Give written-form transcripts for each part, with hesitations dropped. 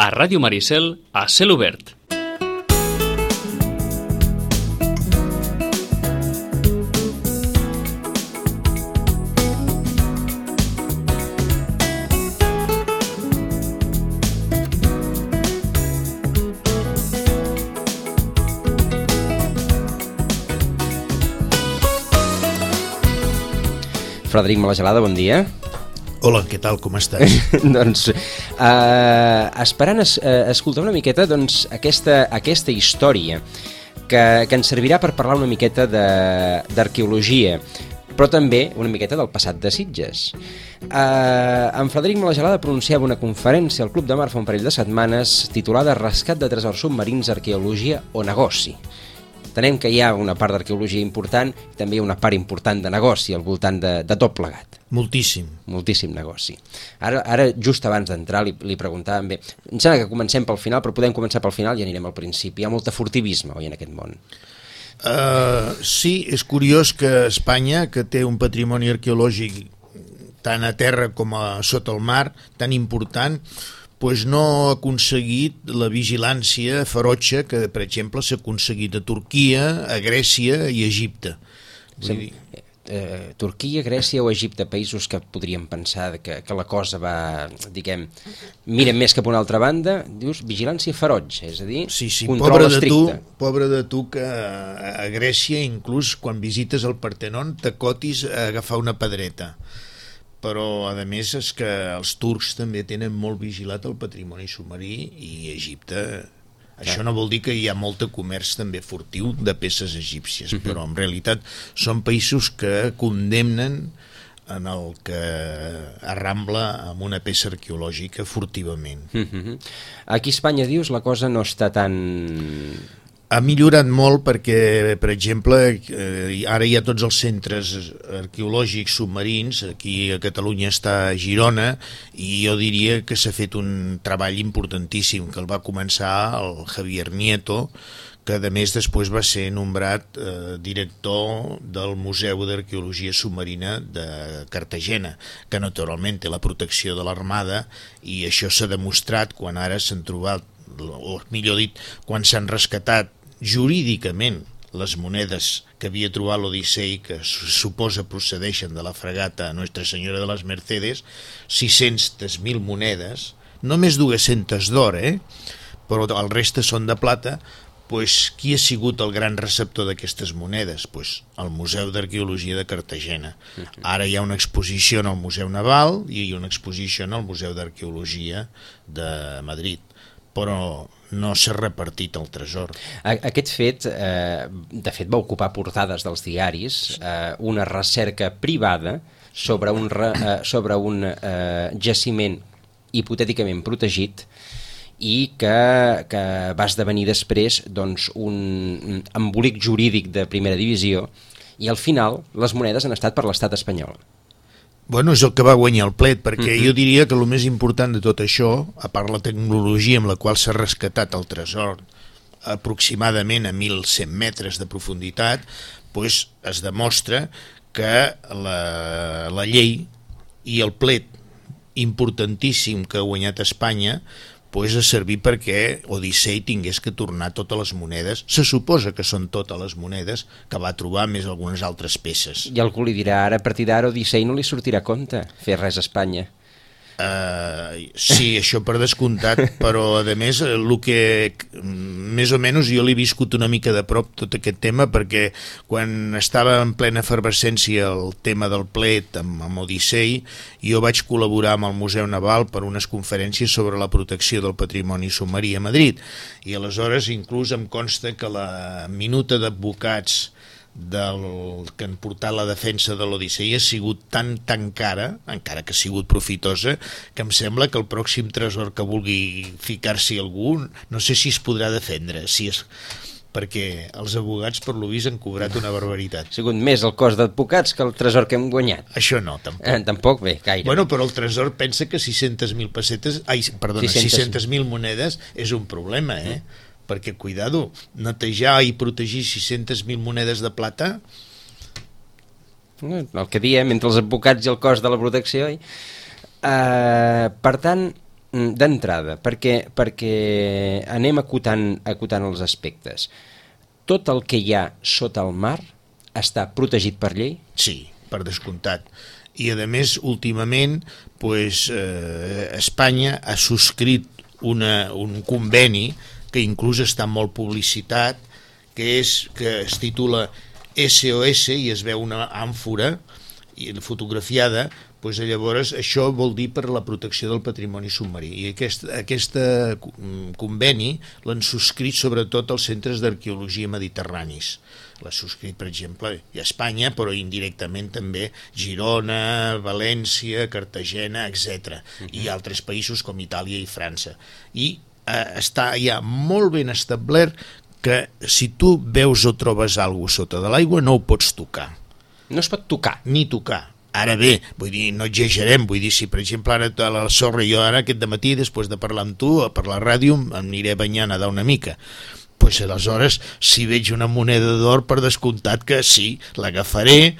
A Ràdio Maricel, a cel obert. Frederic Malagelada, bon dia. Hola, què tal, com estàs? Doncs, esperant escoltar una miqueta aquesta història que ens servirà per parlar una miqueta d'arqueologia, però també una miqueta del passat de Sitges. En Frederic Malagelada pronunciava una conferència al Club de Mar fa un parell de setmanes titulada Rescat de tresors submarins, arqueologia o negoci. Entenem que hi ha una part d'arqueologia important i també hi ha una part important de negoci al voltant de tot plegat. Moltíssim negoci. Ara just abans d'entrar, li preguntàvem bé. Em sembla que comencem pel final, però podem començar pel final i anirem al principi. Hi ha molta furtivisme, oi, en aquest món? Sí, és curiós que Espanya, que té un patrimoni arqueològic tant a terra com sota el mar, tan important, pues no ha aconseguit la vigilància ferotge que, per exemple, s'ha aconseguit a Turquia, a Grècia i a Egipte. Turquia, Grècia o Egipte, països que podríem pensar que la cosa va, diguem, miren més cap a una altra banda, dius vigilància ferotge, és a dir, control estricte. Pobre de tu que a Grècia, inclús quan visites el Partenon, t'acotis a agafar una pedreta. Però a més és que els turcs també tenen molt vigilat el patrimoni submarí i Egipte. Això no vol dir que hi ha molt de comerç també furtiu de peces egípcies, però en realitat són països que condemnen en el que arrambla amb una peça arqueològica furtivament. Aquí a Espanya, dius, la cosa no està tan... Ha millorat molt perquè, per exemple, ara hi ha tots els centres arqueològics submarins, aquí a Catalunya està a Girona, i jo diria que s'ha fet un treball importantíssim, que el va començar el Javier Nieto, que a més després va ser nombrat director del Museu d'Arqueologia Submarina de Cartagena, que naturalment té la protecció de l'Armada, i això s'ha demostrat quan ara s'han trobat, o millor dit, quan s'han rescatat jurídicament les monedes que havia trobat l'Odissei, que suposa procedeixen de la fragata Nuestra Senyora de les Mercedes, 600.000 monedes, només 200 d'or, però el reste són de plata. Pues, qui ha sigut el gran receptor d'aquestes monedes? Pues, el Museu d'Arqueologia de Cartagena. Ara hi ha una exposició en el Museu Naval i hi ha una exposició en el Museu d'Arqueologia de Madrid, però no s'ha repartit el tresor. Aquest fet, de fet, va ocupar portades dels diaris, una recerca privada sobre un jaciment hipotèticament protegit i que va esdevenir després un embolic jurídic de primera divisió, i al final les monedes han estat per l'estat espanyol. Bueno, és el que va guanyar el plet, perquè jo diria que el més important de tot això, a part la tecnologia amb la qual s'ha rescatat el tresor aproximadament a 1.100 metres de profunditat, pues es demostra que la llei i el plet importantíssim que ha guanyat Espanya pues ha servit perquè Odissei tingués que tornar totes les monedes, se suposa que són totes les monedes que va trobar, més algunes altres peces. I algú li dirà, ara a partir d'ara Odissei no li sortirà a compte fer res a Espanya. Sí, això per descomptat, però a més el que més o menys jo l'he viscut una mica de prop tot aquest tema, perquè quan estava en plena efervescència el tema del plet amb Odissei, jo vaig col·laborar amb el Museu Naval per unes conferències sobre la protecció del patrimoni submarí a Madrid, i aleshores inclús em consta que la minuta d'advocats que han portat la defensa de l'Odissei ha sigut tan cara, encara que ha sigut profitosa, que em sembla que el pròxim tresor que vulgui ficar-s'hi algú, no sé si es podrà defendre, perquè els advocats per lo vist han cobrat una barbaritat. Ha sigut més el cost d'advocats que el tresor que hem guanyat. Això no, tampoc. Tampoc, bé, gaire. Bueno, però el tresor pensa que 600.000 pessetes, 600.000 monedes és un problema, perquè, cuidado, netejar i protegir 600.000 monedes de plata... El que diem, entre els advocats i el cost de la protecció. Per tant, d'entrada, perquè anem acotant els aspectes. Tot el que hi ha sota el mar està protegit per llei? Sí, per descomptat. I a més, últimament, Espanya ha subscrit un conveni que inclús està molt publicitat, que es titula SOS i es veu una àmfora fotografiada. Llavors això vol dir per la protecció del patrimoni submarí, i aquest conveni l'han subscrit sobretot els centres d'arqueologia mediterranis. L'ha subscrit, per exemple, a Espanya, però indirectament també Girona, València, Cartagena, etc. I altres països com Itàlia i França. I està ja molt ben establert que si tu veus o trobes alguna cosa sota de l'aigua no ho pots tocar. No es pot tocar? Ni tocar. Ara bé, vull dir, no exagerem, vull dir, si per exemple ara a la sorra, jo ara aquest dematí, després de parlar amb tu, per la ràdio, em aniré banyant a nedar una mica. Aleshores, si veig una moneda d'or, per descomptat que sí, l'agafaré,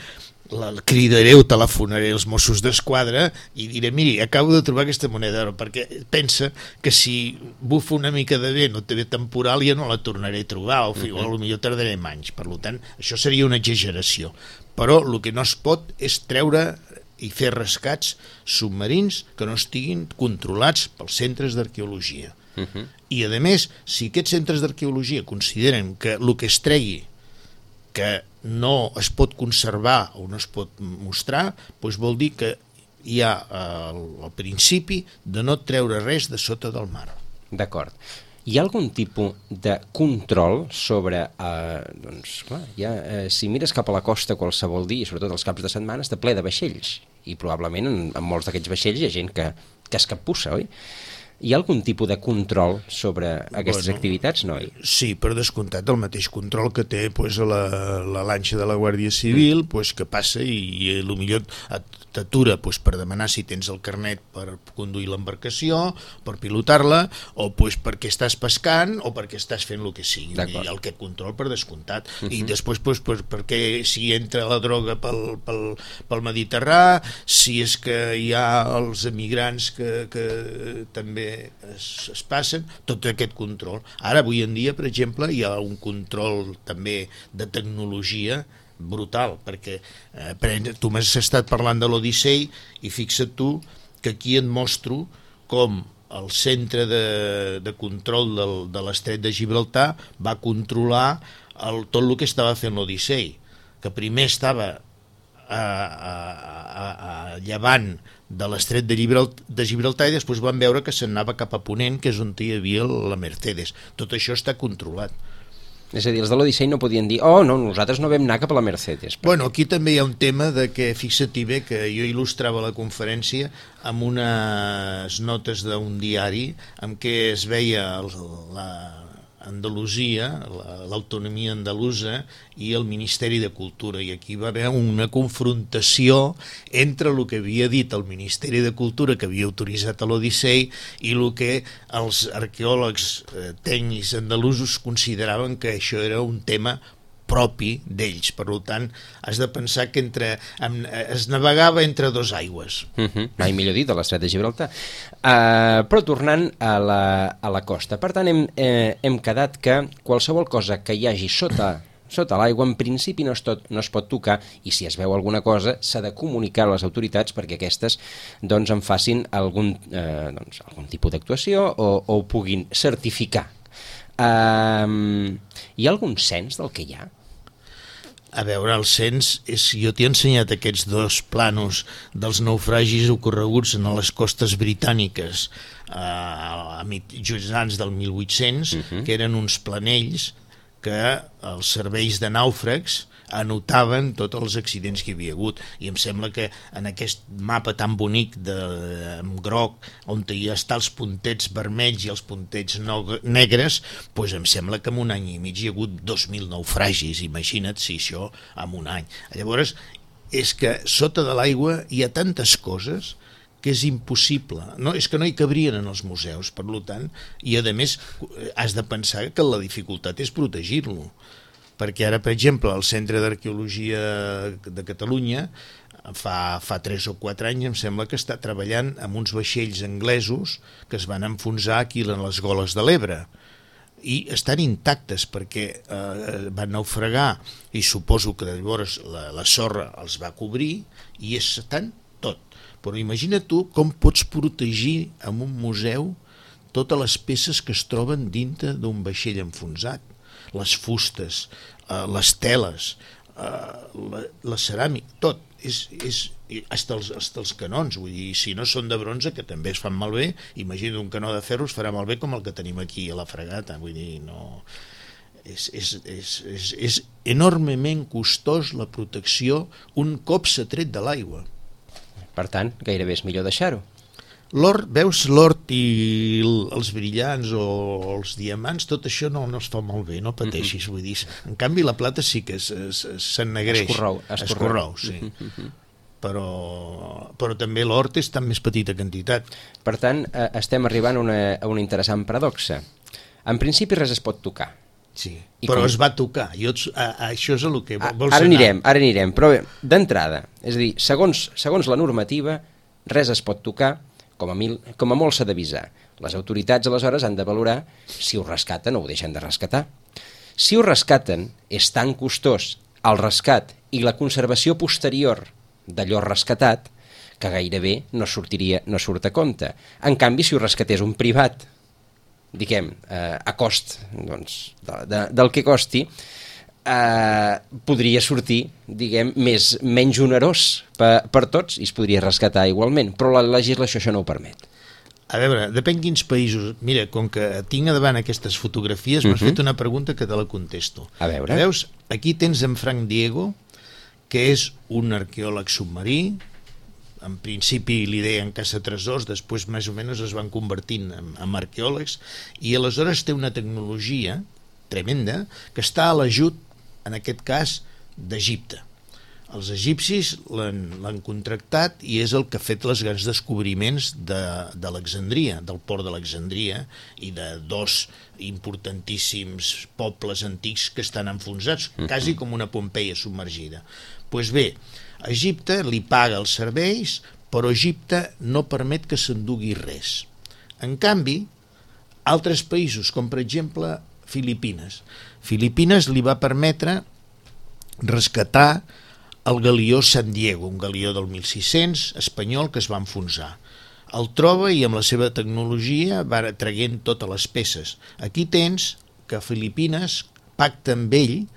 la cridaré o telefonaré als Mossos d'Esquadra i diré, miri, acabo de trobar aquesta moneda d'or, perquè pensa que si bufa una mica de vent o té temporal ja no la tornaré a trobar, o potser tardaré anys. Per tant, això seria una exageració. Però el que no es pot és treure i fer rescats submarins que no estiguin controlats pels centres d'arqueologia. I a més, si aquests centres d'arqueologia consideren que el que es tregui que no es pot conservar o no es pot mostrar, vol dir que hi ha el principi de no treure res de sota del mar. D'acord. Hi ha algun tipus de control sobre, si mires cap a la costa qualsevol dia, sobretot els caps de setmana, està ple de vaixells, i probablement en molts d'aquests vaixells hi ha gent que es capbussa, oi? Hi ha algun tipus de control sobre aquestes activitats, no? Sí, per descomptat, el mateix control que té la lanxa de la Guàrdia Civil, que passa i potser t'atura per demanar si tens el carnet per conduir l'embarcació, per pilotar-la, o perquè estàs pescant o perquè estàs fent el que sigui. Aquest control per descomptat. I després perquè si entra la droga pel Mediterrani, si és que hi ha els emigrants que també es passen, tot aquest control. Ara, avui en dia, per exemple, hi ha un control també de tecnologia brutal, perquè tu m'has estat parlant de l'Odissei i fixa't tu que aquí et mostro com el centre de control de l'estret de Gibraltar va controlar tot el que estava fent l'Odissei, que primer estava a llevant de l'estret de Gibraltar i després van veure que se'n anava cap a ponent, que és on hi havia la Mercedes. Tot això està controlat. És a dir, els de l'Odissei no podien dir no, nosaltres no vam anar cap a la Mercedes. Aquí també hi ha un tema de que, fixa't bé, que jo il·lustrava la conferència amb unes notes d'un diari en què es veia Andalusia, l'autonomia andalusa i el Ministeri de Cultura, i aquí va haver una confrontació entre el que havia dit el Ministeri de Cultura, que havia autoritzat l'Odissei, i el que els arqueòlegs tècnics andalusos consideraven que això era un tema propi d'ells. Per tant, has de pensar que es navegava entre dos aigües. Mai millor dit, a l'estret de Gibraltar. Però tornant a la costa, per tant, hem quedat que qualsevol cosa que hi hagi sota l'aigua, en principi no es pot tocar, i si es veu alguna cosa s'ha de comunicar a les autoritats perquè aquestes en facin algun tipus d'actuació o ho puguin certificar. Hi ha algun cens del que hi ha? A veure, el cens, jo t'he ensenyat aquests dos planos dels naufragis ocorreguts en les costes britàniques just abans del 1800, que eren uns planells que els serveis de nàufrags anotaven tots els accidents que hi havia hagut, i em sembla que en aquest mapa tan bonic amb groc, on hi està els puntets vermells i els puntets negres, em sembla que en un any i mig hi ha hagut 2.000 naufragis. Imagina't si això en un any. Llavors, és que sota de l'aigua hi ha tantes coses que és impossible, és que no hi cabrien en els museus, per tant, i a més has de pensar que la dificultat és protegir-lo, perquè ara, per exemple, el Centre d'Arqueologia de Catalunya fa 3 o 4 anys em sembla que està treballant amb uns vaixells anglesos que es van enfonsar aquí en les goles de l'Ebre i estan intactes perquè van naufragar i suposo que llavors la sorra els va cobrir i estan tot. Però imagina tu com pots protegir en un museu totes les peces que es troben dintre d'un vaixell enfonsat, les fustes, les teles, la ceràmica, tot. Hasta els canons, vull dir, si no són de bronze, que també es fan malbé, imagina un canó de ferro es farà malbé com el que tenim aquí a la Fragata, vull dir, no... És enormement costós la protecció un cop s'ha tret de l'aigua. Per tant, gairebé és millor deixar-ho. L'or, veus l'or i els brillants o els diamants, tot això no es fa molt bé, no pateixis, vull dir. En canvi, la plata sí que s'ennegreix. Escorreu, sí. Però també l'or té tan més petita quantitat. Per tant, estem arribant a una interessant paradoxa. En principi res es pot tocar. Sí, però es va tocar. Això és el que vols ara anirem, però bé, d'entrada, és a dir, segons la normativa, res es pot tocar, com a molt s'ha d'avisar. Les autoritats aleshores han de valorar si ho rescaten o ho deixen de rescatar. Si ho rescaten, és tan costós el rescat i la conservació posterior d'allò rescatat que gairebé no surt a compte. En canvi, si ho rescatés un privat, diguem, a cost del que costi, podria sortir, diguem, menys onerós per tots i es podria rescatar igualment, però la legislació això no ho permet. A veure, depèn quins països. Mira, com que tinc davant aquestes fotografies, m'has fet una pregunta que te la contesto. A veure. Veus, aquí tens en Frank Diego, que és un arqueòleg submarí, en principi li deien caçatresors, després més o menys es van convertint en arqueòlegs, i aleshores té una tecnologia tremenda que està a l'ajut, en aquest cas, d'Egipte. Els egipcis l'han contractat i és el que ha fet els grans descobriments d'Alexandria, del port d'Alexandria i de 2 importantíssims pobles antics que estan enfonsats, quasi com una Pompeia submergida. Doncs bé, Egipte li paga els serveis, però Egipte no permet que s'endugui res. En canvi, altres països, com per exemple Filipines. Filipines li va permetre rescatar el galió San Diego, un galió del 1600 espanyol que es va enfonsar. El troba i amb la seva tecnologia va traient totes les peces. Aquí tens que Filipines pacta amb ell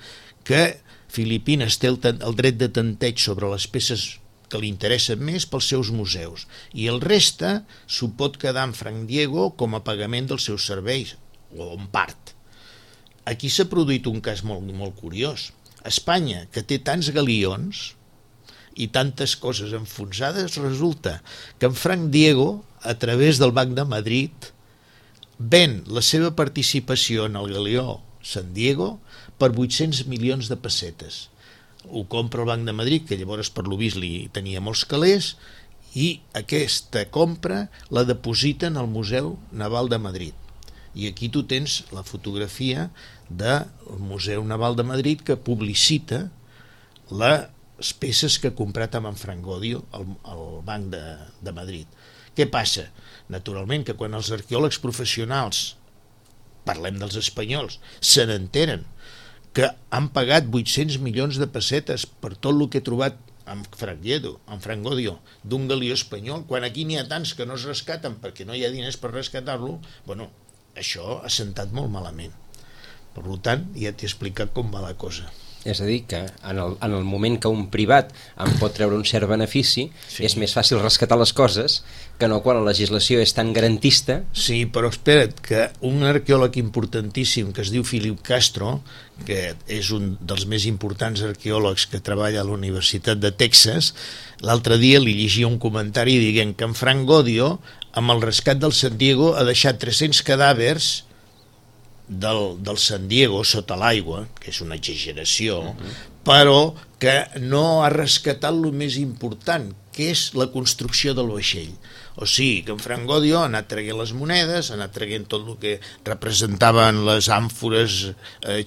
que Filipines té el dret de tanteig sobre les peces que li interessen més pels seus museus i el reste s'ho pot quedar en Frank Diego com a pagament dels seus serveis, o en part. Aquí s'ha produït un cas molt, molt curiós. Espanya, que té tants galions i tantes coses enfonsades, resulta que en Frank Diego, a través del Banc de Madrid, ven la seva participació en el galió San Diego per 800 milions de pessetes. Ho compra el Banc de Madrid, que llavors per lo vist li tenia molts calés, i aquesta compra la depositen al Museu Naval de Madrid. I aquí tu tens la fotografia del Museu Naval de Madrid que publicita les peces que ha comprat amb en Frank Godio al Banc de Madrid. Què passa? Naturalment que quan els arqueòlegs professionals, parlem dels espanyols, se n'enteren que han pagat 800 milions de pessetes per tot el que he trobat amb Frank Godio d'un galió espanyol, quan aquí n'hi ha tants que no es rescaten perquè no hi ha diners per rescatar-lo, bueno, això ha sentat molt malament. Per tant, ja t'he explicat com va la cosa. És a dir, que en el moment que un privat en pot treure un cert benefici, sí, és més fàcil rescatar les coses que no quan la legislació és tan garantista. Sí, però espera't, que un arqueòleg importantíssim que es diu Philip Castro, que és un dels més importants arqueòlegs que treballa a la Universitat de Texas, l'altre dia li llegia un comentari dient que en Frank Godio, amb el rescat del San Diego, ha deixat 300 cadàvers del San Diego sota l'aigua, que és una exageració, però que no ha rescatat el més important, que és la construcció del vaixell. O sigui, que en Frank Godio ha anat traient les monedes, ha anat traient tot el que representaven les àmfores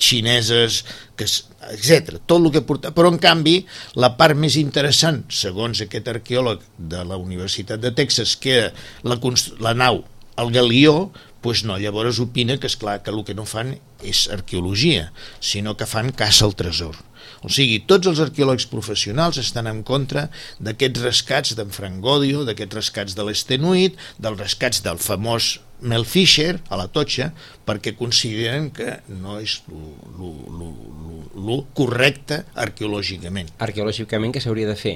xineses, etc. Tot el que portava. Però, en canvi, la part més interessant, segons aquest arqueòleg de la Universitat de Texas, que la nau, el galió, doncs no, llavors opina que, esclar, que el que no fan és arqueologia, sinó que fan caça al tresor. O sigui, tots els arqueòlegs professionals estan en contra d'aquests rescats d'en Frank Godio, d'aquests rescats de l'Estenuit, dels rescats del famós Mel Fisher a la Totxa, perquè consideren que no és lo correcte arqueològicament. Arqueològicament què s'hauria de fer?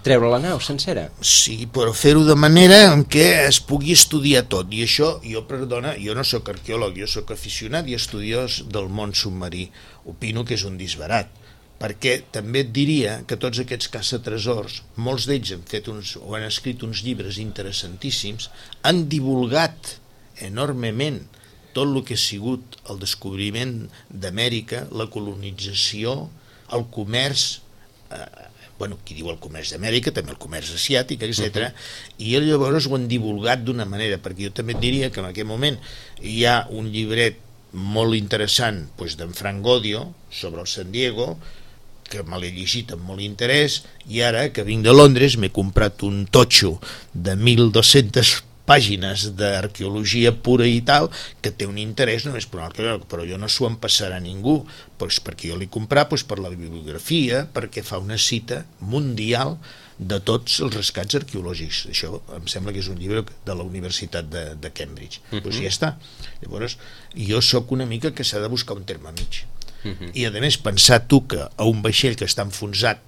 Treure la nau sencera? Sí, però fer-ho de manera en què es pugui estudiar tot. I això, jo no sóc arqueòleg, jo sóc aficionat i estudiós del món submarí. Opino que és un disbarat, perquè també et diria que tots aquests caçatresors, molts d'ells han escrit uns llibres interessantíssims, han divulgat enormement tot el que ha sigut el descobriment d'Amèrica, la colonització, el comerç, qui diu el comerç d'Amèrica, també el comerç asiàtic, etc. I llavors ho han divulgat d'una manera, perquè jo també et diria que en aquest moment hi ha un llibret molt interessant d'en Frank Godio sobre el San Diego, que me l'he llegit amb molt interès, i ara que vinc de Londres m'he comprat un totxo de 1.200 pàgines d'arqueologia pura i tal, que té un interès només per un arqueòleg, però jo no s'ho empassarà a ningú, perquè jo l'he comprat per la bibliografia, perquè fa una cita mundial de tots els rescats arqueològics. Això em sembla que és un llibre de la Universitat de Cambridge. Doncs ja està. Llavors, jo sóc una mica que s'ha de buscar un terme mig. I a més, pensar tu que a un vaixell que està enfonsat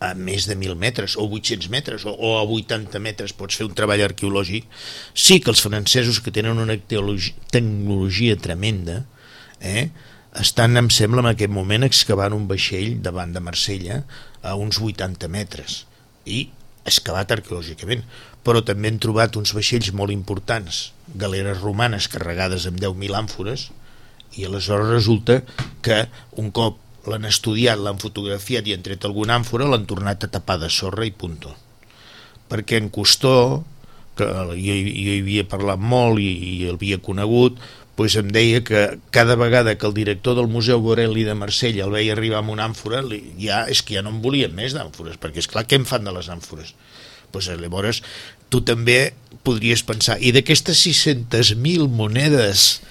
a més de 1.000 metres o 800 metres o a 80 metres pots fer un treball arqueològic, sí que els francesos, que tenen una tecnologia tremenda, estan, em sembla, en aquest moment excavant un vaixell davant de Marsella a uns 80 metres i excavat arqueològicament, però també han trobat uns vaixells molt importants, galeres romanes carregades amb 10.000 àmfores, i aleshores resulta que un cop l'han estudiat, l'han fotografiat i han tret alguna àmfora, l'han tornat a tapar de sorra i punto. Perquè en Cousteau, que jo hi havia parlat molt i el havia conegut, doncs em deia que cada vegada que el director del Museu Borelli de Marsella el veia arribar amb una àmfora, és que ja no en volien més d'àmfores, perquè és clar, què en fan de les àmfores? Doncs llavors tu també podries pensar, i d'aquestes 600.000 monedes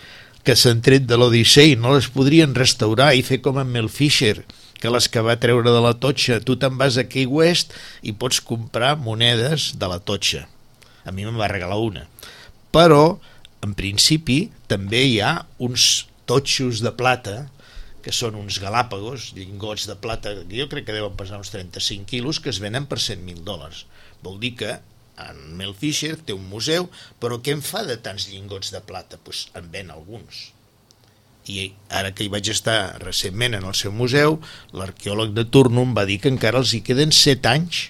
que s'han tret de l'Odissei no les podrien restaurar i fer com en Mel Fisher, que les que va treure de la Totxa? Tu te'n vas a Key West i pots comprar monedes de la Totxa. A mi me'n va regalar una. Però, en principi, també hi ha uns totxos de plata, que són uns galàpagos, llingots de plata, que jo crec que deuen pesar uns 35 quilos, que es venen per $100.000. Vol dir que en Mel Fisher té un museu, però què en fa de tants llingots de plata? Doncs en ven alguns. I ara que hi vaig estar recentment en el seu museu, l'arqueòleg de turno em va dir que encara els hi queden 7 anys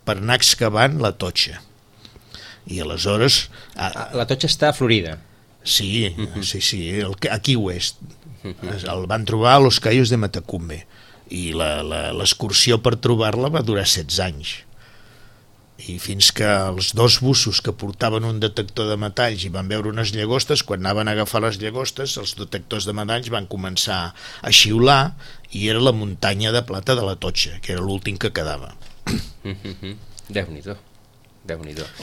per anar excavant la Totxa. I aleshores... La Totxa està a Florida. Sí, a Key West. El van trobar a Los Cayos de Matacumbe i l'excursió per trobar-la va durar 16 anys. I fins que els dos bussos que portaven un detector de metalls i van veure unes llagostes, quan anaven a agafar les llagostes, els detectors de metalls van començar a xiular i era la muntanya de plata de la Totxa, que era l'últim que quedava. Déu-n'hi-do.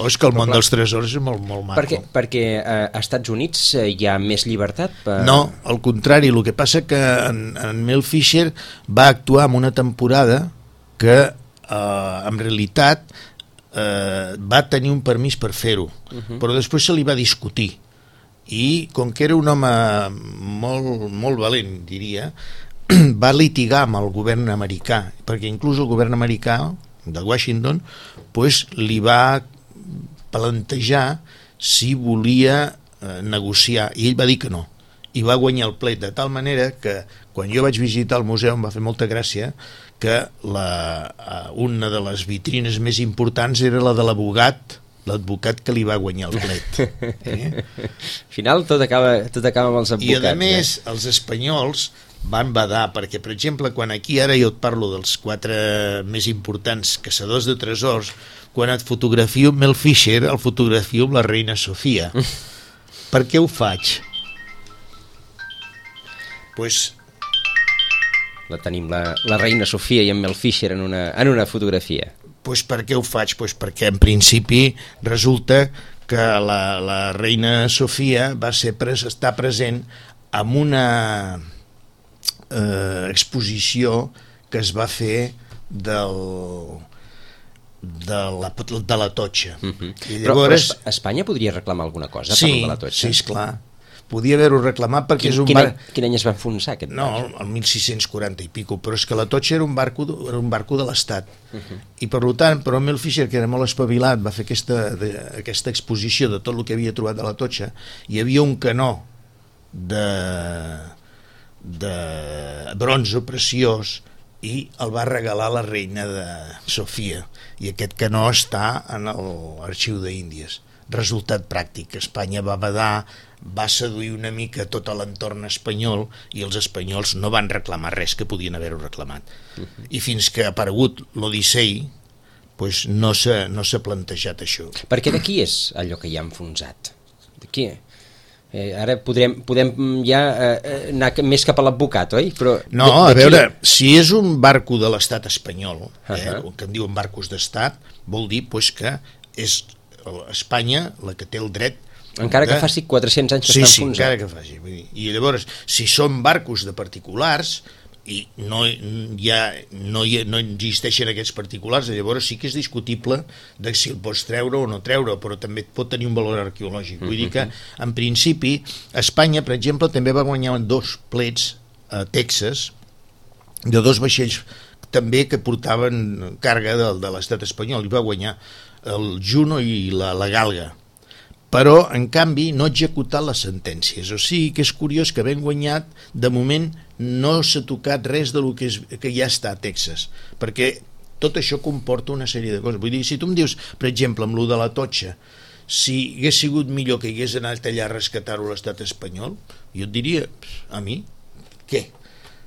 És que el món dels tresors és molt maco. Perquè als Estats Units hi ha més llibertat? No, al contrari, el que passa que en Mel Fisher va actuar en una temporada que en realitat va tenir un permís per fer-ho, però després se li va discutir i com que era un home molt valent, diria, va litigar amb el govern americà, perquè inclús el govern americà de Washington li va plantejar si volia negociar, i ell va dir que no, i va guanyar el plet, de tal manera que quan jo vaig visitar el museu em va fer molta gràcia que una de les vitrines més importants era la de l'advocat que li va guanyar el plet. Al final tot acaba amb els advocats. I a més, els espanyols van badar, perquè per exemple quan aquí ara jo et parlo dels 4 més importants caçadors de tresors, quan et fotografio amb Mel Fisher, el fotografio amb la reina Sofia. Per què ho faig? Pues La tenim, la reina Sofia i en Mel Fisher en una fotografia. Pues per què ho faig? Pues perquè en principi resulta que la reina Sofia va estar present en una exposició que es va fer de la Totxa. I llavors, però Espanya podria reclamar alguna cosa sí, per la Totxa? Sí, esclar. Podia haver-ho reclamat perquè és un barc... Quin any es va enfonsar aquest barc? No, el 1640 i pico, però és que la Totxa era un barco de l'Estat. I per tant, però Mel Fisher, que era molt espavilat, va fer aquesta exposició de tot el que havia trobat de la Totxa. Hi havia un canó de bronze preciós i el va regalar la reina de Sofia, i aquest canó està en l'arxiu d'Índies. Resultat pràctic, Espanya va badar, va seduir una mica tot l'entorn espanyol i els espanyols no van reclamar res que podien haver-ho reclamat. I fins que ha aparegut l'Odissei, pues no s'ha plantejat això. Perquè d'aquí és allò que hi ha enfonsat? D'aquí? Ara podem ja anar més cap a l'advocat, oi? Però no, a veure, si és un barco de l'estat espanyol, el que en diuen barcos d'estat, vol dir pues, que és Espanya la que té el dret, encara que faci 400 anys que està enfonsat. Sí, encara que faci. I llavors, si són barcos de particulars i no existeixen aquests particulars, llavors sí que és discutible de si el pots treure o no treure, però també pot tenir un valor arqueològic. Vull dir que, en principi, Espanya, per exemple, també va guanyar 2 plets a Texas de 2 vaixells també que portaven càrrega de l'estat espanyol, i va guanyar el Juno i la Galga, però en canvi no ha executat les sentències. O sigui que és curiós que havent guanyat, de moment no s'ha tocat res del que ja està a Texas, perquè tot això comporta una sèrie de coses. Vull dir, si tu em dius, per exemple, amb lo de la Totxa, si hagués sigut millor que hagués anat allà a rescatar-ho l'estat espanyol, jo et diria, a mi, què?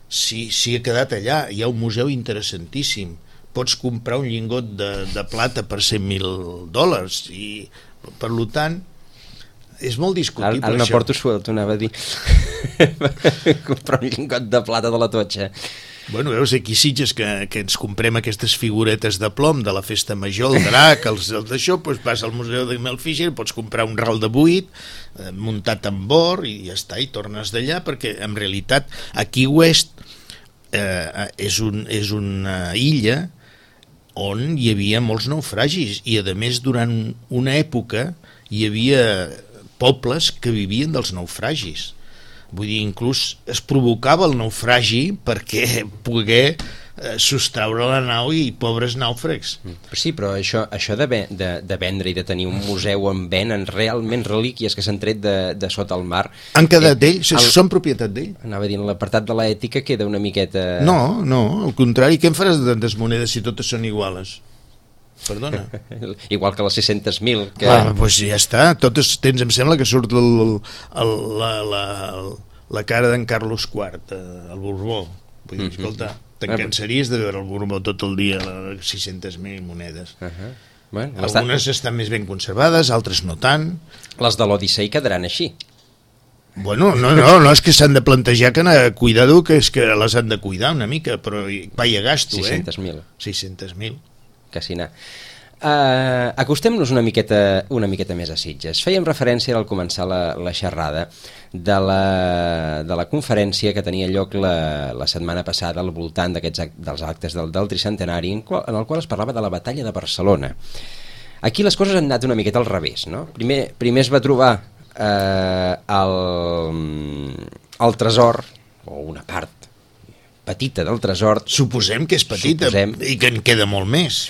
Si ha quedat allà, hi ha un museu interessantíssim, pots comprar un llingot de plata per $100.000 i per tant és molt discutible. Ara no porto suelt, anava a dir comprar un llingot de plata de la Totxa. Bueno, veus, aquí Sitges que ens comprem aquestes figuretes de plom de la festa major, el drac, els d'això, doncs vas al museu de Mel Fisher, pots comprar un ral de buit muntat amb bor i ja està, i tornes d'allà, perquè en realitat aquí West és una illa on hi havia molts naufragis i a més durant una època hi havia pobles que vivien dels naufragis. Vull dir, inclús es provocava el naufragi perquè poguer sostraure la nau i pobres nàufrags. Sí, però això de vendre i de tenir un museu on venen realment relíquies que s'han tret de sota el mar... Han quedat d'ell? Són propietat d'ell? Anava a dir, l'apartat de l'ètica queda una miqueta... No, al contrari, què en faràs de tantes monedes si totes són iguales? Perdona. Igual que les 600.000 que... Doncs ja està, totes tens, em sembla que surt la cara d'en Carlos IV, el Borbó. Vull dir, escolta, te'n cansaries de veure el Borbó tot el dia, les 600.000 monedes. Bueno, algunes estan més ben conservades, altres no tant. Les de l'Odissei quedaran així. Bueno, no, és que s'han de plantejar que cuidado, que és que les han de cuidar una mica, però vaya gasto, 600.000. 600.000. Quasi anar. Acostem-nos una miqueta més a Sitges. Fèiem referència al començar la xerrada de la conferència que tenia lloc la setmana passada al voltant dels actes del tricentenari, en el qual es parlava de la batalla de Barcelona. Aquí les coses han anat una miqueta al revés, no? Primer es va trobar el tresor, o una part petita del tresor. Suposem que és petita i que en queda molt més.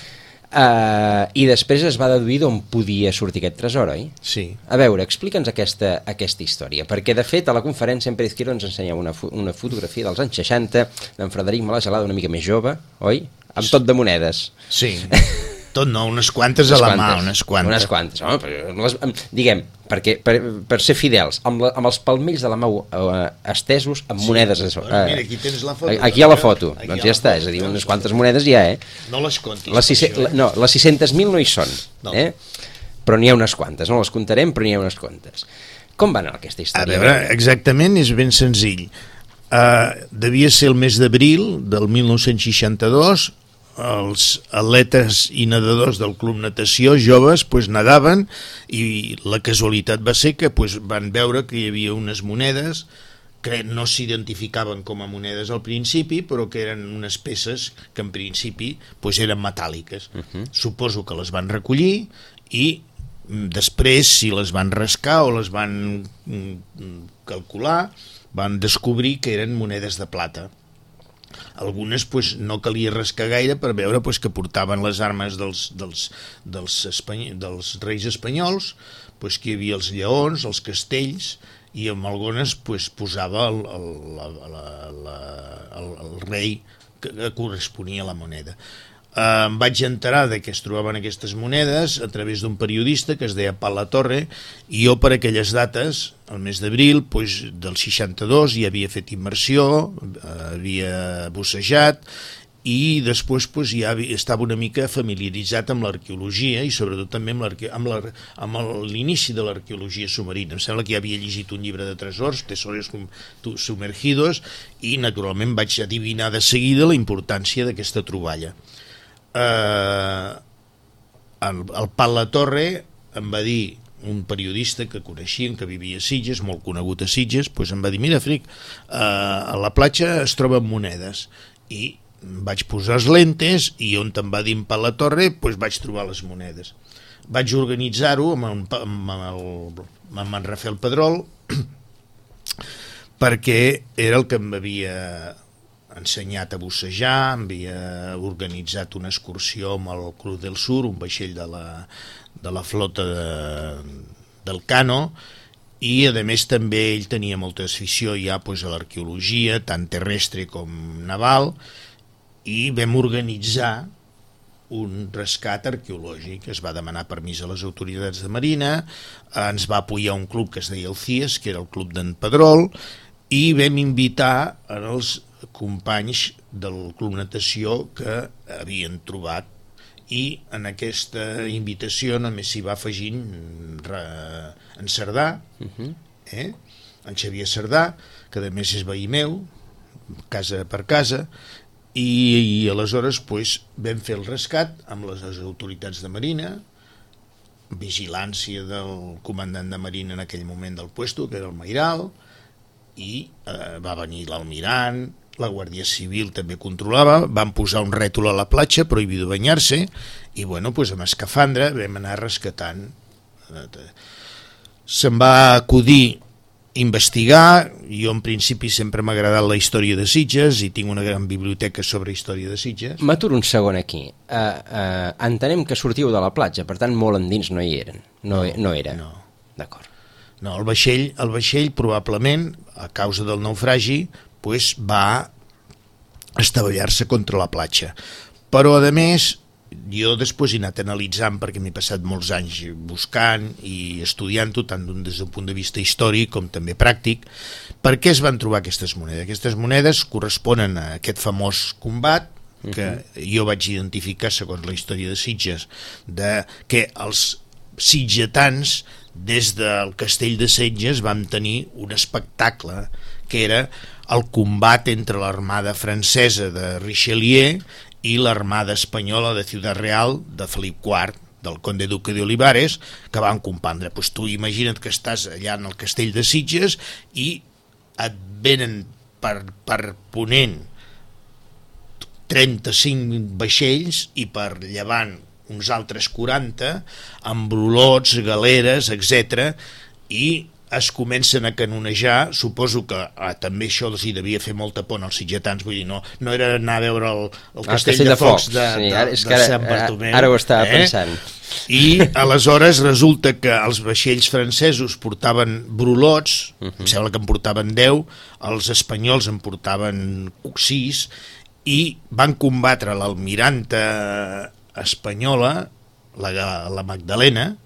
I després es va deduir d'on podia sortir aquest tresor, oi? Sí. A veure, explica'ns aquesta història, perquè de fet a la conferència en Pérez Quiro ens ensenyava una fotografia dels anys 60 d'en Frederic Malagelada, una mica més jove, oi? Amb tot de monedes. Sí. Tot no, unes quantes a la mà, unes quantes. Unes quantes, home, però diguem, perquè per ser fidels, amb els palmells de la mà estesos amb monedes. Mira, aquí tens la foto. Aquí hi ha la foto, doncs ja està, és a dir, unes quantes monedes hi ha, No les comptis. Les 600.000 no hi són, però n'hi ha unes quantes, no les comptarem, però n'hi ha unes quantes. Com va anar aquesta història? A veure, exactament, és ben senzill. Devia ser el mes d'abril del 1962, els atletes i nedadors del Club Natació joves nadaven i la casualitat va ser que van veure que hi havia unes monedes que no s'identificaven com a monedes al principi, però que eren unes peces que en principi eren metàl·liques. Suposo que les van recollir i després, si les van rascar o les van calcular, van descobrir que eren monedes de plata. Algunes no calia rascar gaire per veure que portaven les armes dels reis espanyols, que hi havia els lleons, els castells, i amb algunes posava el rei que corresponia a la moneda. Em vaig enterar que es trobaven aquestes monedes a través d'un periodista que es deia Pal Latorre, i jo per aquelles dates, el mes d'abril del 62, ja havia fet immersió, havia bussejat, i després ja estava una mica familiaritzat amb l'arqueologia i sobretot també amb l'inici de l'arqueologia submarina. Em sembla que ja havia llegit un llibre de tresors, Tesoros Sumergidos, i naturalment vaig adivinar de seguida la importància d'aquesta troballa. El Pal Latorre em va dir, un periodista que coneixien, que vivia a Sitges, molt conegut a Sitges, em va dir, mira, Fric, a la platja es troben monedes, i vaig posar els lentes i on em va dir en Pal Latorre vaig trobar les monedes. Vaig organitzar-ho amb en Rafael Pedrol perquè era el que em havia ensenyat a bussejar, havia organitzat una excursió amb el Cruz del Sur, un vaixell de la flota del Cano, i a més també ell tenia molta afició ja a l'arqueologia, tant terrestre com naval, i vam organitzar un rescat arqueològic. Es va demanar permís a les autoritats de Marina, ens va apoyar un club que es deia el CIES, que era el club d'en Pedrol, i vam invitar els companys del Club Natació que havien trobat, i en aquesta invitació només s'hi va afegint en Cerdà, en Xavier Cerdà, que a més és veí meu, casa per casa, i aleshores vam fer el rescat amb les autoritats de Marina, vigilància del comandant de Marina en aquell moment del puesto, que era el Mairal, i va venir l'almirant, la Guàrdia Civil també controlava, van posar un rètol a la platja, prohibido banyar-se, i amb escafandra vam anar rescatant. Se'm va acudir investigar, jo en principi sempre m'ha agradat la història de Sitges i tinc una gran biblioteca sobre història de Sitges. M'aturo un segon aquí. Entenem que sortiu de la platja, per tant molt endins no hi eren. No era. No. D'acord. No, el vaixell probablement, a causa del naufragi, va estavellar-se contra la platja. Però, a més, jo després he anat analitzant, perquè m'he passat molts anys buscant i estudiant-ho, tant des del punt de vista històric com també pràctic, per què es van trobar aquestes monedes. Aquestes monedes corresponen a aquest famós combat que jo vaig identificar, segons la història de Sitges, que els sitgetans, des del castell de Sitges, vam tenir un espectacle que era el combat entre l'armada francesa de Richelieu i l'armada espanyola de Ciudad Real de Felip IV, del conde duque de Olivares, que van compondre. Tu imagina't que estàs allà en el castell de Sitges i et venen per ponent 35 vaixells i per llevant uns altres 40 amb brulots, galeres, etc. i es comencen a canonejar. Suposo que també això els hi devia fer molta por als sitgetans, vull dir, no era anar a veure el castell de focs de Sant Bartomeu. Ara ho estava pensant. I aleshores resulta que els vaixells francesos portaven brulots, em sembla que en portaven 10, els espanyols en portaven 6, i van combatre l'almiranta espanyola, la Magdalena,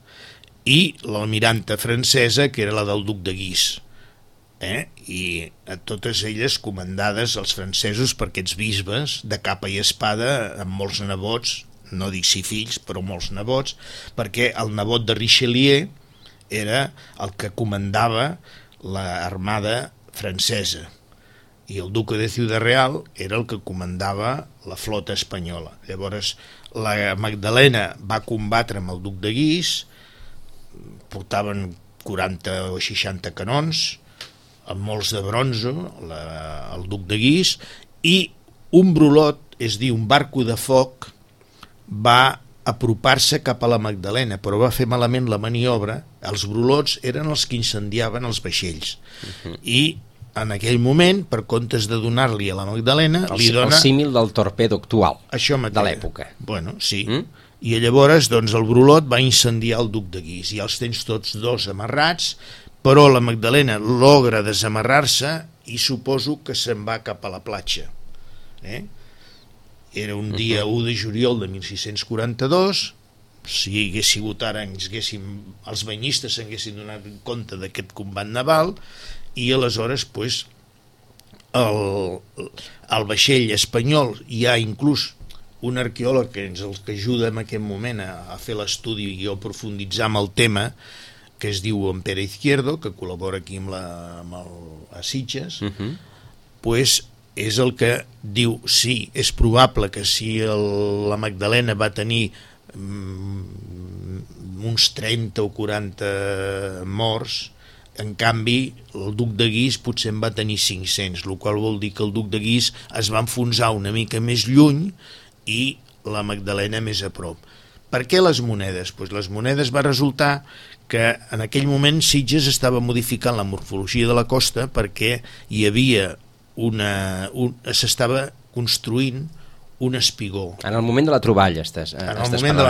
i l'almiranta francesa, que era la del duc de Guise. I a totes elles comandades els francesos per aquests bisbes de capa i espada, amb molts nebots, no dic si fills, però molts nebots, perquè el nebot de Richelieu era el que comandava l'armada francesa i el duque de Ciudad Real era el que comandava la flota espanyola. Llavors la Magdalena va combatre amb el duc de Guise, portaven 40 o 60 canons, amb molts de bronze, el duc de Guise, i un brulot, és a dir, un barco de foc, va apropar-se cap a la Magdalena, però va fer malament la maniobra. Els brulots eren els que incendiaven els vaixells. I en aquell moment, per comptes de donar-li a la Magdalena, li dona... El símil del torpedo actual, de l'època. Bueno, sí. I llavors doncs, el brulot va incendiar el duc de Guise i els tens tots dos amarrats, però la Magdalena logra desamarrar-se i suposo que se'n va cap a la platja. Era un dia 1 de juliol de 1642, si hagués sigut ara els banyistes s'haguessin donat compte d'aquest combat naval, i aleshores pues, el vaixell espanyol, hi ha inclús un arqueòleg que ens el que ajuda en aquest moment a fer l'estudi i a profunditzar amb el tema, que es diu en Pere Izquierdo, que col·labora aquí a Sitges, pues, és el que diu, sí, és probable que si la Magdalena va tenir uns 30 o 40 morts, en canvi el duc de Guise potser en va tenir 500, el qual vol dir que el duc de Guise es va enfonsar una mica més lluny i la Magdalena més a prop. Per què les monedes? Pues les monedes va resultar que en aquell moment Sitges estava modificant la morfologia de la costa perquè hi havia s'estava construint un espigó. En el moment de la troballa estàs en el moment de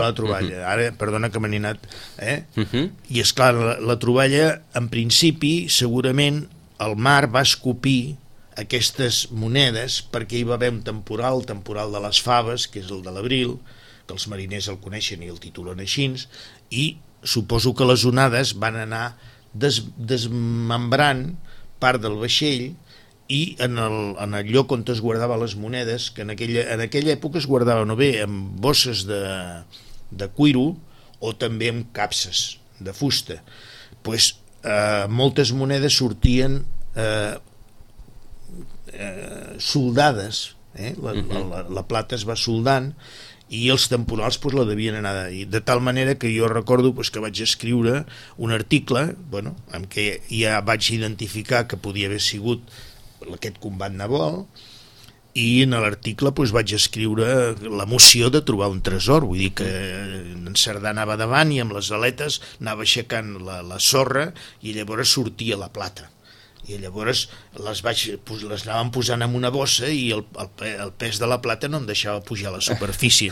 la troballa. Ara, perdona que me n'he anat. I esclar, la troballa, en principi, segurament el mar va escopir aquestes monedes perquè hi va haver un temporal, el temporal de les faves, que és el de l'abril, que els mariners el coneixen i el titulen així, i suposo que les onades van anar desmembrant part del vaixell i en el lloc on es guardaven les monedes, que en aquella època es guardaven o bé amb bosses de cuiro o també amb capses de fusta. Pues, moltes monedes sortien soldades, la plata es va soldant i els temporals pues, la devien anar de tal manera que jo recordo pues, que vaig escriure un article en què ja vaig identificar que podia haver sigut aquest combat naval i en l'article pues, vaig escriure l'emoció de trobar un tresor, vull dir que en Cerdà anava davant i amb les aletes anava aixecant la sorra i llavors sortia la plata i llavors les anàvem posant en una bossa i el pes de la plata no em deixava pujar a la superfície,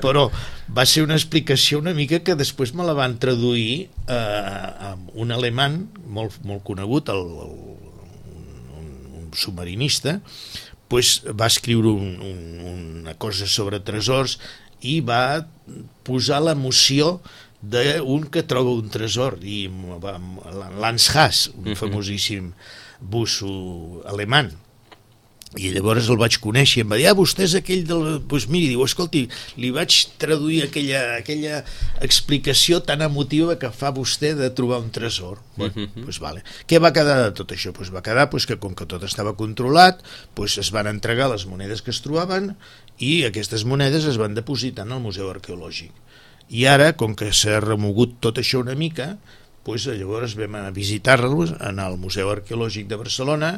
però va ser una explicació una mica que després me la van traduir un alemany molt, molt conegut, un submarinista, pues va escriure una cosa sobre tresors i va posar l'emoció d'un que troba un tresor i Lance Haas, un famosíssim busso alemany, i llavors el vaig conèixer i em va dir, vostè és aquell doncs miri, diu, escolti, li vaig traduir aquella explicació tan emotiva que fa vostè de trobar un tresor. Doncs vale. Què va quedar de tot això? Va quedar que com que tot estava controlat es van entregar les monedes que es trobaven i aquestes monedes es van depositar en el Museu Arqueològic. I ara, com que s'ha remogut tot això una mica, llavors vam a visitar-los en el Museu Arqueològic de Barcelona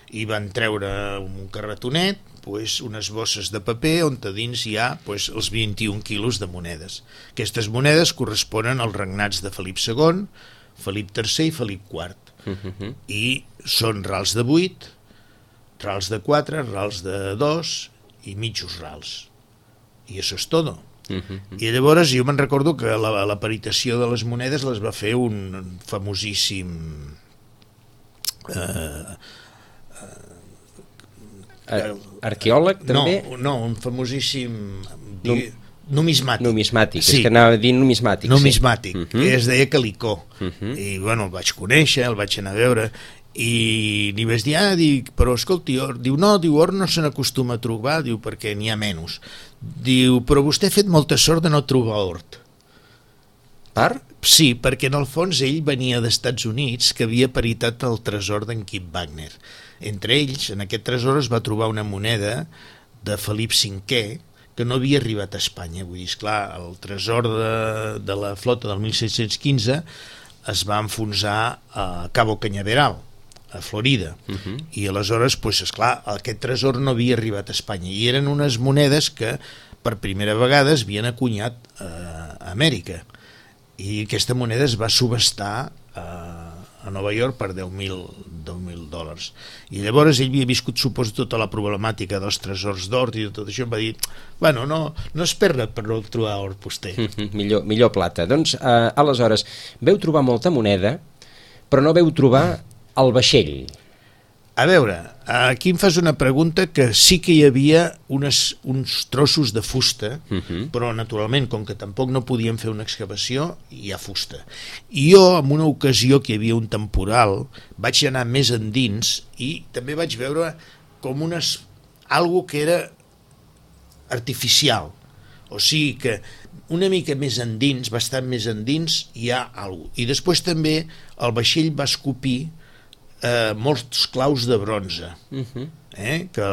i van treure un carretonet, unes bosses de paper on a dins hi ha els 21 quilos de monedes. Aquestes monedes corresponen als regnats de Felip II, Felip III i Felip IV. I són rals de 8, rals de 4, rals de 2 i mitjos rals. I això és tot. I llavors jo me'n recordo que la peritació de les monedes les va fer un famosíssim arqueòleg també? No, un famosíssim Numismàtic. Sí. És que anava a dir numismàtic. Numismàtic, que es deia Calicó. I bueno, el vaig conèixer, el vaig anar a veure, i li vaig dir, dic, però escolti, or, diu, no, or no se n'acostuma a trobar, diu, perquè n'hi ha menys. Diu, però vostè ha fet molta sort de no trobar hort. Per? Sí, perquè en el fons ell venia d'Estats Units, que havia peritat el tresor d'en Kip Wagner. Entre ells, en aquest tresor es va trobar una moneda de Felip V, que no havia arribat a Espanya. Vull dir, esclar, el tresor de la flota del 1715 es va enfonsar a Cabo Cañaveral, a Florida, i aleshores, pues, esclar, aquest tresor no havia arribat a Espanya, i eren unes monedes que per primera vegada es havien acunyat a Amèrica, i aquesta moneda es va subestar a Nova York per $10.000. I llavors ell havia viscut, suposo, tota la problemàtica dels tresors d'or i tot això, em va dir, bueno, no es perd per no trobar or vostè. Millor plata. Doncs, aleshores, veu trobar molta moneda, però no veu trobar el vaixell. A veure, aquí em fas una pregunta que sí que hi havia uns trossos de fusta, però naturalment, com que tampoc no podíem fer una excavació, hi ha fusta. I jo, en una ocasió que hi havia un temporal, vaig anar més endins i també vaig veure com algo que era artificial. O sigui que una mica més endins, bastant més endins, hi ha alguna cosa. I després també el vaixell va escopir molts claus de bronze, que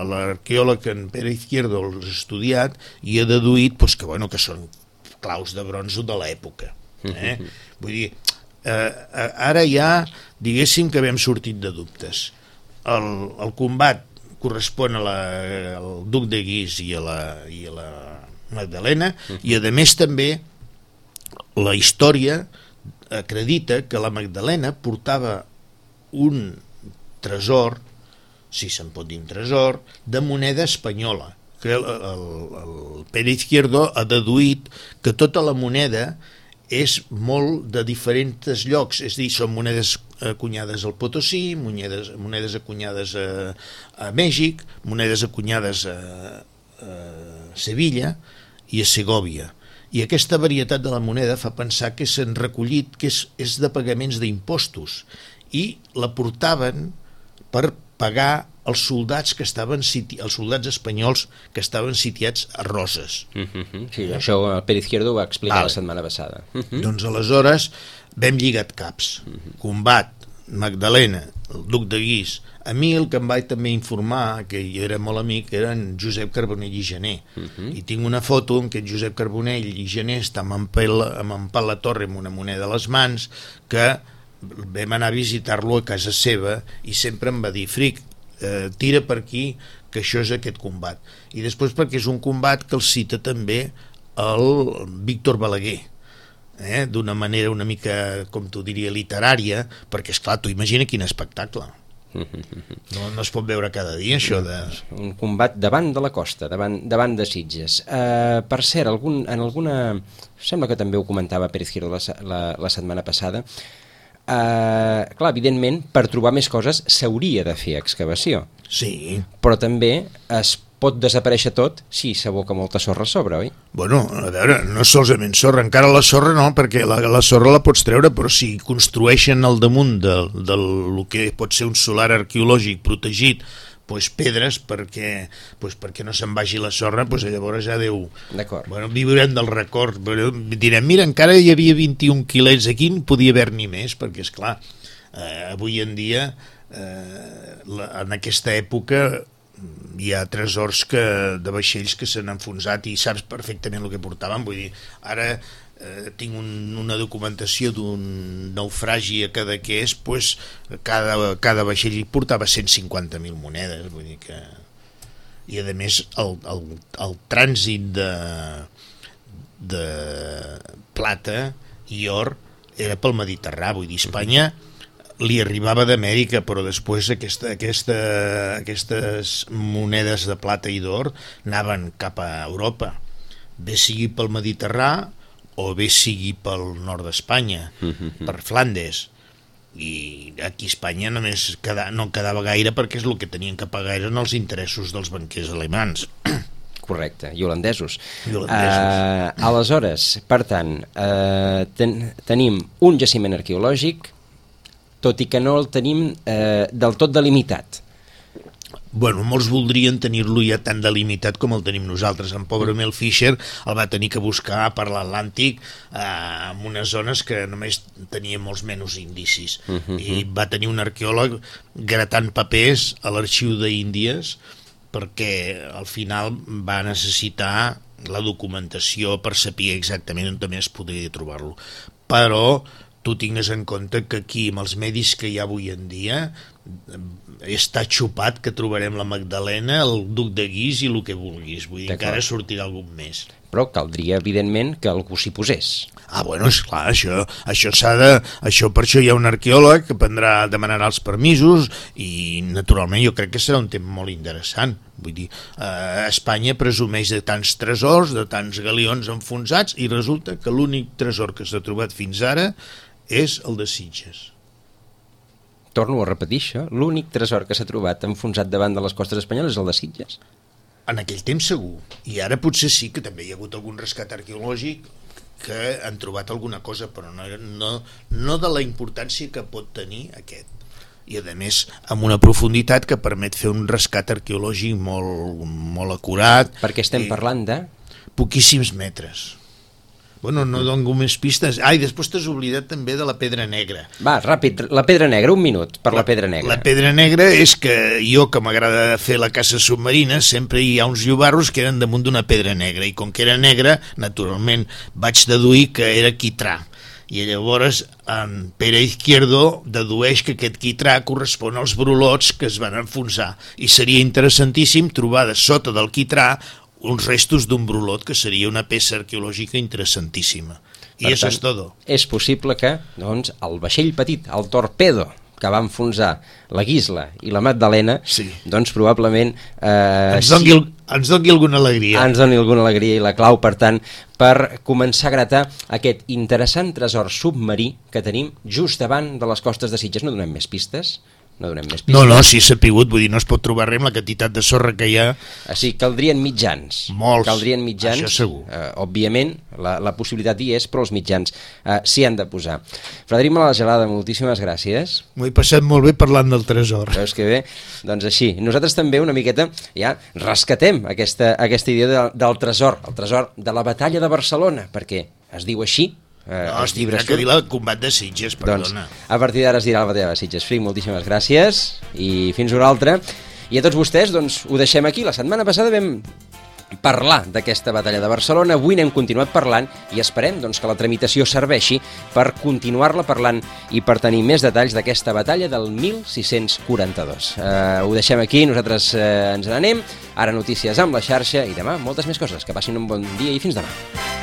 l'arqueòleg en Pere Izquierdo els ha estudiat i ha deduït que són claus de bronze de l'època. Vull dir, ara ja diguéssim que havíem sortit de dubtes. El combat correspon al duc de Guise i a la Magdalena, i a més també la història acredita que la Magdalena portava un tresor, si se'n pot dir un tresor, de moneda espanyola, que el Pere Izquierdo ha deduït que tota la moneda és molt de diferents llocs, és a dir, són monedes acunyades al Potosí, monedes acunyades a Mèxic, monedes acunyades a Sevilla i a Segòvia. I aquesta varietat de la moneda fa pensar que s'han recollit, que és de pagaments d'impostos, i la portaven per pagar els soldats els soldats espanyols que estaven sitiats a Roses. Sí, això el Pere Izquierdo ho va explicar la setmana passada. Doncs aleshores vam lligat caps. Combat, Magdalena, el duc de Guise. A mi el que em vaig també informar, que jo era molt amic, era en Josep Carbonell i Gener. I tinc una foto en què en Josep Carbonell i Gener estan amb en Pal la Torre amb una moneda a les mans, que vam anar a visitar-lo a casa seva i sempre em va dir, Fric, tira per aquí, que això és aquest combat. I després perquè és un combat que el cita també el Víctor Balaguer, d'una manera una mica, com tu diria, literària, perquè esclar, tu imagina quin espectacle. No es pot veure cada dia això de... Un combat davant de la costa, davant de Sitges. Per cert, sembla que també ho comentava Pere Izquierdo la setmana passada. Clar, evidentment, per trobar més coses s'hauria de fer excavació. Sí. Però també es pot desaparèixer tot si s'aboca molta sorra a sobre, oi? Bueno, a veure, no solament sorra, encara la sorra no, perquè la sorra la pots treure, però si construeixen al damunt del que pot ser un solar arqueològic protegit, pedres perquè no se'n vagi la sorra, llavors ja Déu, viurem del record, direm, mira, encara hi havia 21 quilets aquí, no podia haver-n'hi més, perquè esclar, avui en dia en aquesta època hi ha tresors de vaixells que s'han enfonsat i saps perfectament el que portaven. Vull dir, ara tinc una documentació d'un naufragi a Cadaqués, cada vaixell portava 150.000 monedes, vull dir que... I a més el trànsit de plata i or era pel Mediterrani, vull dir, Espanya li arribava d'Amèrica, però després aquestes monedes de plata i d'or anaven cap a Europa, bé sigui pel Mediterrani o bé sigui pel nord d'Espanya, per Flandes. I aquí a Espanya només no quedava gaire perquè és el que tenien que pagar eren els interessos dels banquers alemans. Correcte, i holandesos. Holandesos. Aleshores, per tant, tenim un jaciment arqueològic, tot i que no el tenim del tot delimitat. Bueno, molts voldrien tenir-lo ja tan delimitat com el tenim nosaltres. En pobre Mel Fisher el va tenir que buscar per l'Atlàntic en unes zones que només tenia molts menys indicis. I va tenir un arqueòleg gratant papers a l'arxiu d'Índies perquè al final va necessitar la documentació per saber exactament on també es podria trobar-lo. Però tu tingues en compte que aquí, amb els medis que hi ha avui en dia, està xupat que trobarem la Magdalena, el duc de Guix i el que vulguis. Vull dir, encara sortirà algun més. Però caldria, evidentment, que algú s'hi posés. Bueno, esclar, això s'ha de... Per això hi ha un arqueòleg que demanarà els permisos i, naturalment, jo crec que serà un tema molt interessant. Vull dir, Espanya presumeix de tants tresors, de tants galions enfonsats, i resulta que l'únic tresor que s'ha trobat fins ara és el de Sitges. Torno a repetir això, l'únic tresor que s'ha trobat enfonsat davant de les costes espanyoles és el de Sitges. En aquell temps segur, i ara potser sí que també hi ha hagut algun rescat arqueològic que han trobat alguna cosa, però no de la importància que pot tenir aquest. I a més amb una profunditat que permet fer un rescat arqueològic molt acurat. Perquè estem parlant de... Poquíssims metres. Bueno, no dono més pistes. I després t'has oblidat també de la Pedra Negra. Va, ràpid, la Pedra Negra, un minut per la Pedra Negra. La Pedra Negra és que jo, que m'agrada fer la caça submarina, sempre hi ha uns llobarros que eren damunt d'una pedra negra, i com que era negra, naturalment vaig deduir que era quitrà. I llavors en Pere Izquierdo dedueix que aquest quitrà correspon als brulots que es van enfonsar, i seria interessantíssim trobar de sota del quitrà uns restos d'un brulot, que seria una peça arqueològica interessantíssima. I això és tot. És possible que, doncs, el vaixell petit, el Torpedo, que va enfonsar la Guisla i la Magdalena, sí, doncs probablement... ens doni alguna alegria. Ens doni alguna alegria, i la clau, per tant, per començar a gratar aquest interessant tresor submarí que tenim just davant de les costes de Sitges. No donem més pistes? No donem més pistes. No, sí s'ha pigut, vull dir, no es pot trobar res amb la quantitat de sorra que hi ha. Així, caldrien mitjans. Molts, caldrien mitjans, això segur. Òbviament, la possibilitat hi és, però els mitjans s'hi han de posar. Frederic Malagelada, moltíssimes gràcies. M'ho he passat molt bé parlant del tresor. Veus que bé? Doncs així. Nosaltres també una miqueta ja rescatem aquesta idea del tresor, el tresor de la batalla de Barcelona, perquè es diu així. No, es tindrà que dir el combat de Sitges, perdona. Doncs, a partir d'ara es dirà la batalla de Sitges. Fric, moltíssimes gràcies i fins una altra. I a tots vostès, doncs, ho deixem aquí. La setmana passada vam parlar d'aquesta batalla de Barcelona, avui n'hem continuat parlant i esperem, doncs, que la tramitació serveixi per continuar-la parlant i per tenir més detalls d'aquesta batalla del 1642. Ho deixem aquí, nosaltres ens n'anem, ara notícies amb la xarxa i demà moltes més coses. Que passin un bon dia i fins demà.